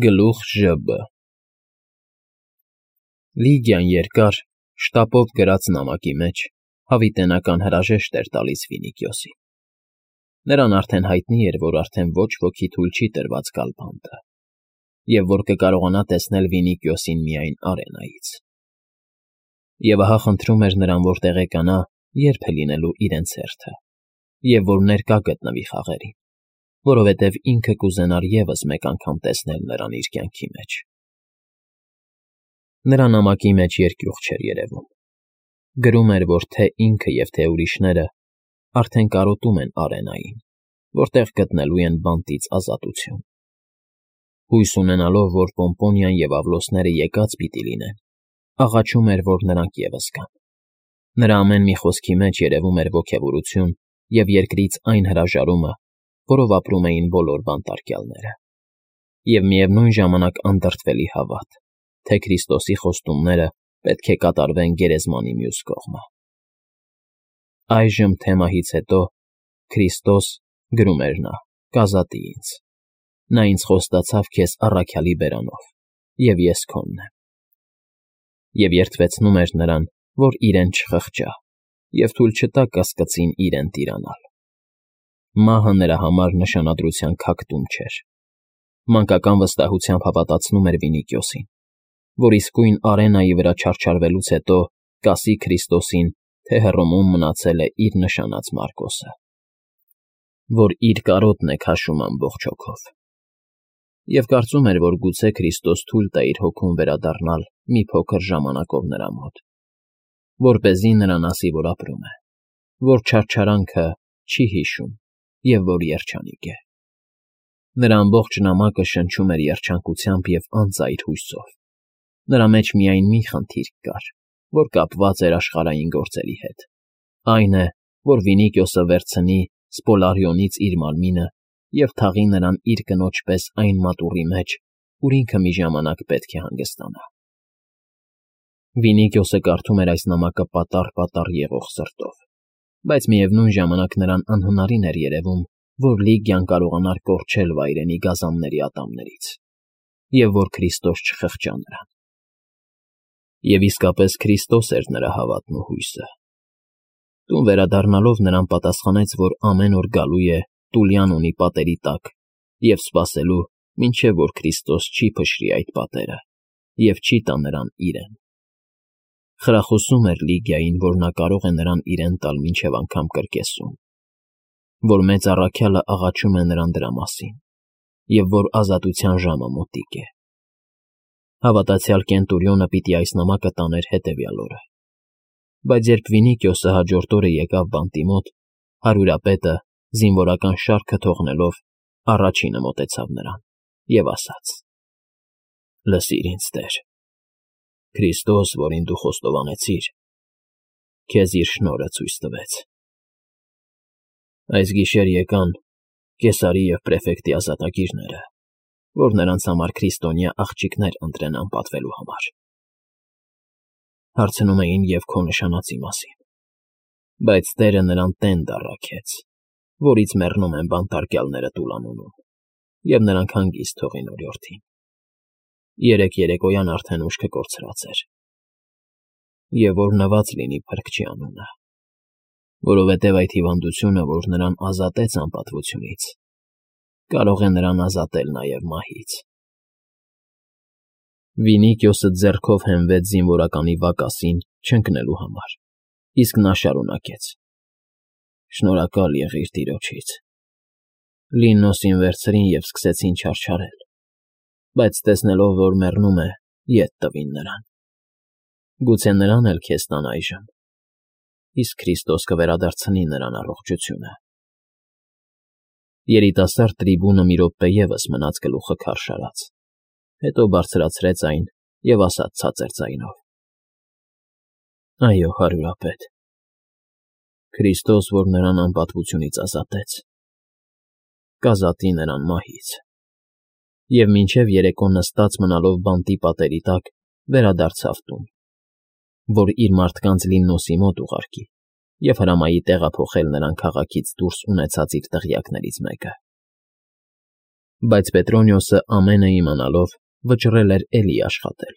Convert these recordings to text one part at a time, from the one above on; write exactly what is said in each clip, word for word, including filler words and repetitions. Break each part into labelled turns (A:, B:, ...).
A: Գլուխ Ժ Բ Լիգիան երկար, շտապով գրած նամակի մեջ հավիտենական հրաժեշտ էր տալիս Վինիքիոսին. նրան արդեն հայտնի էր, որ արդեն ոչ ոքի թույլ չի տրված գալ բանտը, և որ կկարողանա տեսնել Վինիքիոսին միայն արենայից։ Եվ ահա խնդրում էր նրան, որ տեղեկանա, երբ է լինելու իրենց հերթը, և որ ներկա գտնվի խաղերին, որովհետև ինքը կուզենար ևս մեկ անգամ տեսնել նրան իր կյանքի մեջ։ Նրա նամակի մեջ երկյուղ չէր երևում. գրում էր, որ թե ինքը և թե ուրիշները արդեն կարոտում են արենային, որտեղ գտնելու են բանտից ազատություն։ Հույս ունենալով, որ Պոմպոնիան և Ավլոսները եկած պիտի լինեն, աղաչում էր, որ նրանք ևս գան։ Նրա ամեն մի խոսքի մեջ երևում էր ոգևորություն և երկրից այն հրաժարումը, որով ապրում էին բոլոր բանտարկյալները, և միևնույն ժամանակ անդրդվելի հավատ, թե Քրիստոսի խոստումները պետք է կատարվեն գերեզմանի մյուս կողմը։ Այժմ, թե մահից հետո, Քրիստոս, գրում էր նա, կազատի ինձ. նա ինձ խոստացավ քեզ առաքյալի բերանով, և ես քոնն եմ։ Եվ երդվեցնում էր նրան, որ իրեն չխղճա և թույլ չտա կասկածին իրեն տիրանալ։ Մահը նրա համար նշանադրության քակտում չէր։ Մանկական վստահությամբ հավատացնում էր Վինիքիոսին, որ իսկույն արենայի վրա չարչարվելուց հետո կասի Քրիստոսին, թե Հռոմում մնացել է իր նշանած Մարկոսը, որ իր կարոտն է քաշում ամբողջ հոգով։ Եվ կարծում էր, որ գուցե Քրիստոս թույլ տա իր հոգուն վերադառնալ մի փոքր ժամանակով նրա մոտ, որպեսզի նրան ասի, որ ապրում է, որ չարչարանքը չի հիշում և որ երջանիկ է։ Նրա ամբողջ նամակը շնչում էր երջանկությամբ և անծայր հույսով։ Նրա մեջ միայն մի խնդիր կար, որ կապված էր աշխարհային գործերի հետ, այն է, որ Վինիքիոսը վերցնի Սպոլարիոնից իր մարմինը և թաղի նրան իր կնոջ պես այն մատուռի մեջ, ուր ինքը մի ժամանակ պետք է հանգստանա։ Վինիքիոսը կարդում էր այս նամակը պատառ֊պատառ եղող սրտով, բայց միևնույն ժամանակ նրան անհնարին էր երևում, որ Լիգիան կարողանար կորչել վայրենի գազանների ատամներից, և որ Քրիստոս չխղճա նրան։ Եվ իսկապես Քրիստոս էր նրա հավատն ու հույսը։ Տուն վերադառնալով նրան պատասխանեց, որ ամեն օր գալու է Տուլյան ունի պատերի տակ և սպասելու, մինչև որ Քրիստոս չի փշրի այդ պատերը և չի տա նրան իրեն։ Խրախուսում էր Լիգիային, որ նա կարող է նրան իրեն տալ մինչև անգամ կրկեսում, որ մեծ առաքյալը աղաչում է նրան դրա մասին, և որ ազատության ժամը մոտիկ է։ Հավատացյալ Կենտուրիոնը պիտի այս նամակը տաներ հետևյալ օրը։ Բայց երբ Վինիքիոսը հաջորդ օրը եկավ բանտի մոտ, հարյուրապետը, զինվորական շարքը թողնելով, առաջինը մոտեցավ նրան և ասաց. «Լսիր ինձ, տեր, Քրիստոս, որին դու խոստովանեցիր, քեզ իր շնորհը ցույց տվեց։ Այս գիշեր եկան Կեսարի և պրեֆեկտի ազատագիրները, որ նրանց համար քրիստոնյա աղջիկներ ընտրեն անպատվելու համար։ Հարցնում էին և քո նշանածի մասին, բայց Տերը նրան տենդ առաքեց, որից մեռնում են բանտարկյալները Տուլանոնում, և նրանք հանգիստ թողին օրիորդին։ Երեկ երեկոյան արդեն ուշքը կորցրած էր, և որ նված լինի Փրկչի անունը, որովհետև այդ հիվանդությունը, որ նրան ազատեց անպատվությունից, կարող է նրան ազատել նաև մահից»։ Վինիքիոսը ձեռքով հենվեց զինվորականի վակասին չընկնելու համար, իսկ նա շարունակեց. «Շնորհակալ եղիր Տիրոջից։ Լիննոսին վերցրին և սկսեցին չարչարել, բայց տեսնելով, որ մեռնում է, ետ տվին նրան։ Գուցե նրան էլ քեզ տան այժմ, իսկ Քրիստոս կվերադարձնի նրան առողջությունը»։ Երիտասարդ տրիբունը մի րոպե ևս մնաց գլուխը քարշ արած, հետո բարձրացրեց այն և ասաց ցածր ձայնով. «Այո, հարյուրապետ, Քրիստոս, որ նրան անպատվությունից ազատեց, կազատի նրան մահից»։ Եվ մինչև երեկո նստած մնալով բանտի պատերի տակ, վերադարձավ տուն, որ իր մարդկանց Լիննոսի մոտ ուղարկի և հրամայի տեղափոխել նրան քաղաքից դուրս ունեցած իր տղյակներից մեկը։ Բայց Պետրոնիոսը ամենը իմանալով վճռել էր էլի աշխատել.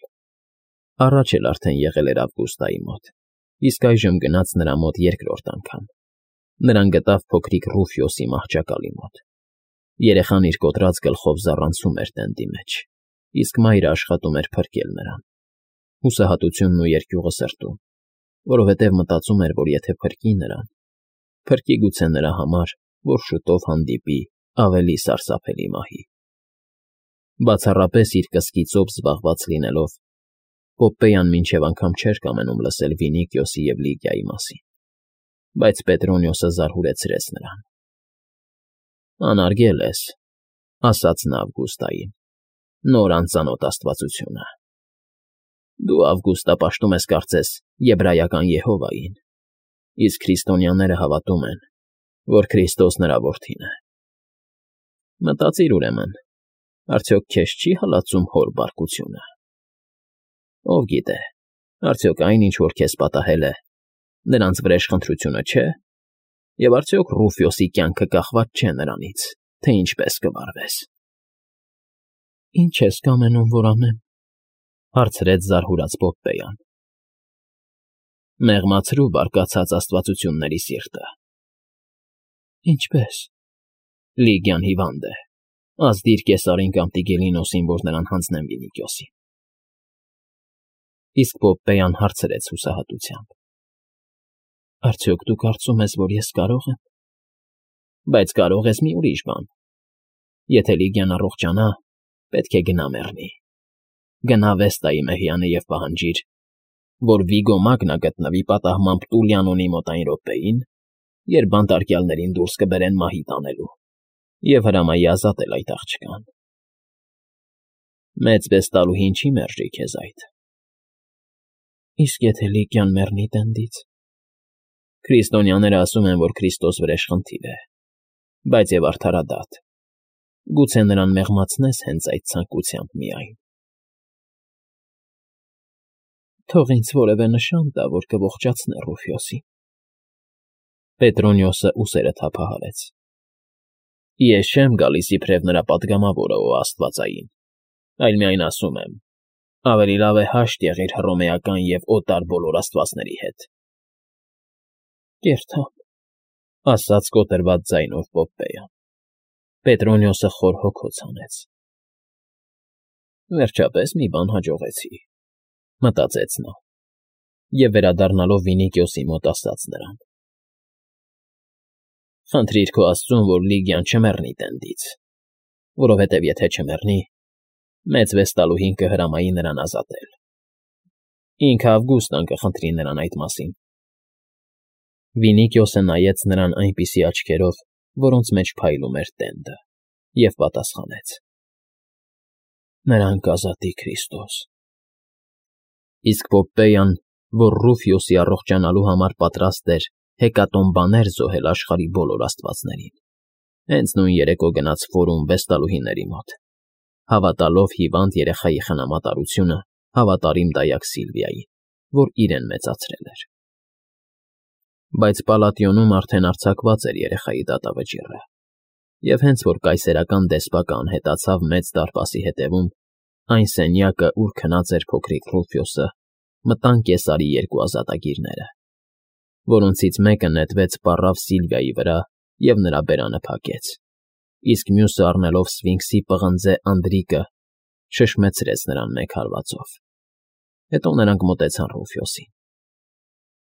A: առաջ էլ արդեն եղել էր Ավգուստայի մոտ, իսկ այժմ գնաց նրա մոտ երկրորդ անգամ. նրան գտավ փոքրիկ Ռուֆյոսի մահճակալի մոտ. երեխան իր կոտրած գլխով զառանցում էր տենդի մեջ, իսկ մայրը աշխատում էր փրկել նրան, հուսահատությունն ու երկյուղը սրտում, որովհետև մտածում էր, որ եթե փրկի նրան, փրկի գուցե նրա համար, որ շուտով հանդիպի ավելի սարսափելի մահի։ Բացառապես իր կսկիծով զբաղված լինելով, Պոպպեյան մինչև անգամ չէր կամենում լսել Վինիկիոսի և Լիգիայի մասին, բայց Պետրոնիոսը զարհուրեցրեց նրան։ «Անարգել ես,֊ ասաց նա Ավգուստային,֊ նոր անծանոթ աստվածությունը։ Դու, Ավգուստա, պաշտում ես, կարծես, եբրայական Եհովային, իսկ քրիստոնյաները հավատում են, որ Քրիստոս նրա որդին է։ Մտածիր, ուրեմն, արդյոք քեզ չի հալածում հոր բարկությունը։ Ով գիտե, արդյոք այն, ինչ որ քեզ պատահել է, նրանց վրեժխնդրությունը չէ, և արդյոք Ռուֆյոսի կյանքը կախված չէ նրանից, թե ինչպես կվարվես։ ֊ Ի՞նչ ես կամենում, որ անեմ,֊ հարցրեց զարհուրած Պոպպեյան։ ֊ Մեղմացրու բարկացած աստվածությունների սիրտը։ ֊ Ինչպե՞ս։ ֊ Լիգիան հիվանդ է, ազդիր Կեսարին կամ Տիգելինոսին, որ նրան հանձնեն Վինիկիոսին։ Իսկ Պոպպեյան հարցրեց հուսահատությամբ. Արդյոք դու կարծում ես, որ ես կարող եմ։ Բայց կարող ես մի ուրիշ բան. եթե Լիգիան առողջանա, պետք է գնա մեռնի։ Գնա Վեստայի մեհյանը և պահանջիր, որ Վիգո Մագնա գտնվի պատահմամբ Տուլիանոնի մոտ այն րոպեին, երբ բանտարկյալներին դուրս կբերեն մահի տանելու, և հրամայի ազատել այդ աղջկան։ Մեծ Վեստալուհին չի մերժի քեզ այդ։ Իսկ եթե Լիգիան մեռնի տենդից։ Քրիստոնյաները ասում են, որ Քրիստոս վրեժխնդիր է, բայց և արդարադատ։ Գուցե նրան մեղմացնես հենց այդ ցանկությամբ միայն։ Թող ինձ որևէ նշան տա, որ կողջացնե Ռուֆյոսին։ Պետրոնիոսը ուսերը թափահարեց։ Ես չեմ գալիս իբրև նրա պատգամավորը ու աստվածային, այլ միայն ասում եմ. ավելի լավ է հաշտ եղիր հռոմեական և օտար բոլոր աստվածների հետ։ Կերթամ,֊ ասաց կոտրված ձայնով Պոպպեյան։ Պետրոնիոսը խոր հոգոց հանեց։ Վերջապես մի բան հաջողեցի, մտածեց նա, և վերադառնալով Վինիկիոսի մոտ ասաց նրան. Խնդրիր քո աստծուն, որ Լիգիան չմեռնի տենդից, որովհետև եթե չմեռնի, մեծ Վեստալուհին կհրամայի նրան ազատել։ Ինքը Ավգուստան կխնդրի նրան այդ մասին։ Վինիկիոսը նայեց նրան այնպիսի աչքերով, որոնց մեջ փայլում էր տենդը, և պատասխանեց. Նրան կազատի Քրիստոս։ Իսկ Պոպպեյան, որ Ռուֆյոսի առողջանալու համար պատրաստ էր հեկատոմբաներ զոհել աշխարհի բոլոր աստվածներին, հենց նույն երեկո գնաց Ֆորում Վեստալուհիների մոտ, հավատալով հիվանդ երեխայի խնամատարությունը հավատարիմ դայակ Սիլվիային, որ իրեն մեծացրել էր։ Բայց Պալատիոնում արդեն արձակված էր երեխայի դատավճիռը, և հենց որ կայսերական դեսպակը անհետացավ Մեծ դարպասի հետևում, այն սենյակը, ուր քնած էր փոքրիկ Ռուֆյոսը, մտան Կեսարի երկու ազատագիրները, որոնցից մեկը նետվեց պառավ Սիլվիայի վրա և նրա բերանը փակեց, իսկ մյուսը առնելով Սֆինքսի պղնձե անդրիկը, շշմեցրեց նրան մեկ հարվածով։ Հետո նրանք մոտեցան Ռուֆյոսին։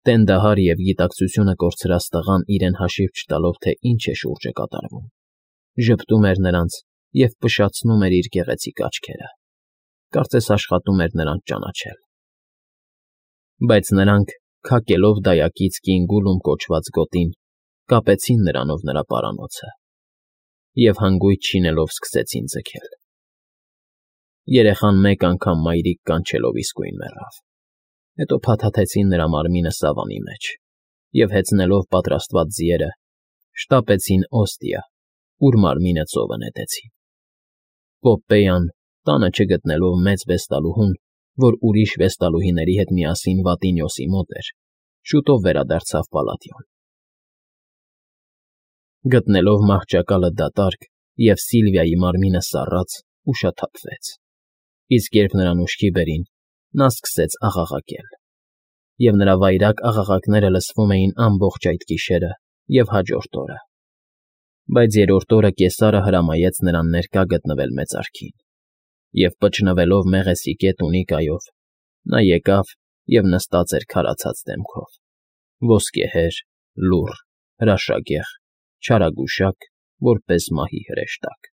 A: Տենդահար և գիտակցությունը կորցրած տղան իրեն հաշիվ չտալով, թե ինչ է շուրջը կատարվում, ժպտում էր նրանց և փշացնում էր իր գեղեցիկ աչքերը, կարծես աշխատում էր նրանց ճանաչել։ Բայց նրանք, քակելով դայակից կին Գուլում կոչված գոտին, կապեցին նրանով նրա պարանոցը և հանգույց չինելով սկսեցին ձգել։ Երեխան մեկ անգամ մայրիկ կանչելով իսկույն մեռավ։ Հետո փաթաթեցին նրա մարմինը սավանի մեջ և, հեծնելով պատրաստված ձիերը, շտապեցին Օստիա, ուր մարմինը ծովը նետեցին։ Պոպպեյան, տանը չգտնելով մեծ Վեստալուհուն, որ ուրիշ Վեստալուհիների հետ միասին Վատինիոսի մոտ էր, շուտով վերադարձավ Պալատիոն։ Գտնելով մահճակալը դատարկ, և Սիլվիայի մարմինը սառաց ու շաթաթվեց, իսկ երբ նրան ուշքի բերին, նա սկսեց աղաղակել, և նրա վայրագ աղաղակները լսվում էին ամբողջ այդ գիշերը և հաջորդ օրը։ Բայց երրորդ օրը կեսարը հրամայեց նրան ներկա գտնվել մեծարքին, և, պճնվելով մեղեսի կետունիկայով, նա եկավ և նստած էր քարացած դեմքով, ոսկեհեր, լուռ, հրաշագեղ, չարագուշակ, որպես մահի հրեշտակ։